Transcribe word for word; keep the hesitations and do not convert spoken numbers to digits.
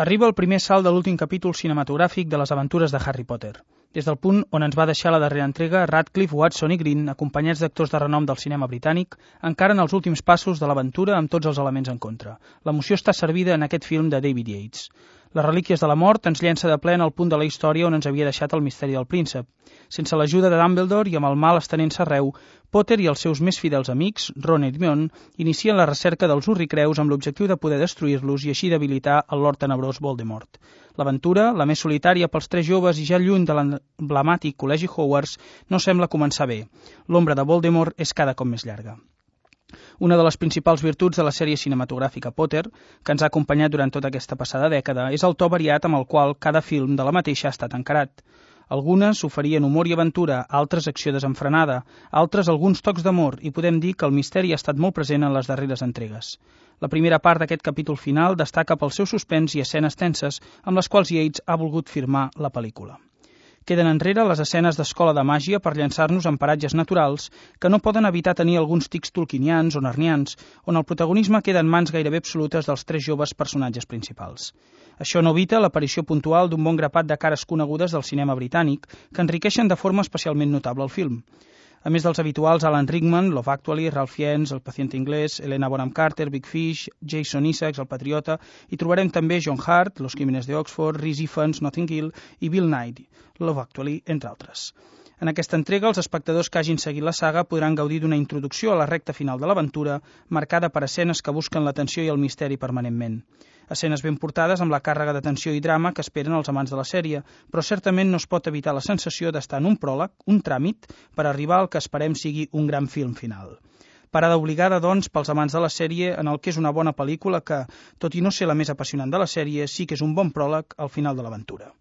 Arriba el primer salt de l'últim capítol cinematogràfic de les aventures de Harry Potter. Des del punt on ens va deixar la darrera entrega, Radcliffe, Watson i Green, acompanyats d'actors de renom del cinema britànic, encaren els últims passos de l'aventura amb tots els elements en contra. L'emoció està servida en aquest film de David Yates. Les relíquies de la mort ens llença de ple en el punt de la història on ens havia deixat el misteri del príncep. Sense l'ajuda de Dumbledore i amb el mal estenent-se arreu, Potter i els seus més fidels amics, Ron i Hermione, inicien la recerca dels Urricreus amb l'objectiu de poder destruir-los i així debilitar el Lord Tenebrós Voldemort. L'aventura, la més solitària pels tres joves i ja lluny de l'emblemàtic Col·legi Hogwarts, no sembla començar bé. L'ombra de Voldemort és cada cop més llarga. Una de les principals virtuts de la sèrie cinematogràfica Potter, que ens ha acompanyat durant tota aquesta passada dècada, és el to variat amb el qual cada film de la mateixa ha estat encarat. Algunes oferien humor i aventura, altres acció desenfrenada, altres alguns tocs d'amor, i podem dir que el misteri ha estat molt present en les darreres entregues. La primera part d'aquest capítol final destaca pel seu suspens i escenes tenses amb les quals Yates ha volgut firmar la pel·lícula. Queden enrere les escenes d'escola de màgia per llançar-nos en paratges naturals que no poden evitar tenir alguns tics tolkienians o narnians, on el protagonisme queda en mans gairebé absolutes dels tres joves personatges principals. Això no evita l'aparició puntual d'un bon grapat de cares conegudes del cinema britànic que enriqueixen de forma especialment notable el film. A més dels habituals Alan Rickman, Love Actually, Ralph Fiennes, El paciente inglés, Helena Bonham Carter, Big Fish, Jason Isaacs, El patriota, i trobarem també John Hurt, Los crímenes de Oxford, Rhys Ifans, Notting Hill i Bill Nighy, Love Actually, entre altres. En aquesta entrega, els espectadors que hagin seguit la saga podran gaudir d'una introducció a la recta final de l'aventura, marcada per escenes que busquen l'atenció i el misteri permanentment. Escenes ben portades amb la càrrega de tensió i drama que esperen els amants de la sèrie, però certament no es pot evitar la sensació d'estar en un pròleg, un tràmit, per arribar al que esperem sigui un gran film final. Parada obligada, doncs, pels amants de la sèrie en el que és una bona pel·lícula que, tot i no ser la més apassionant de la sèrie, sí que és un bon pròleg al final de l'aventura.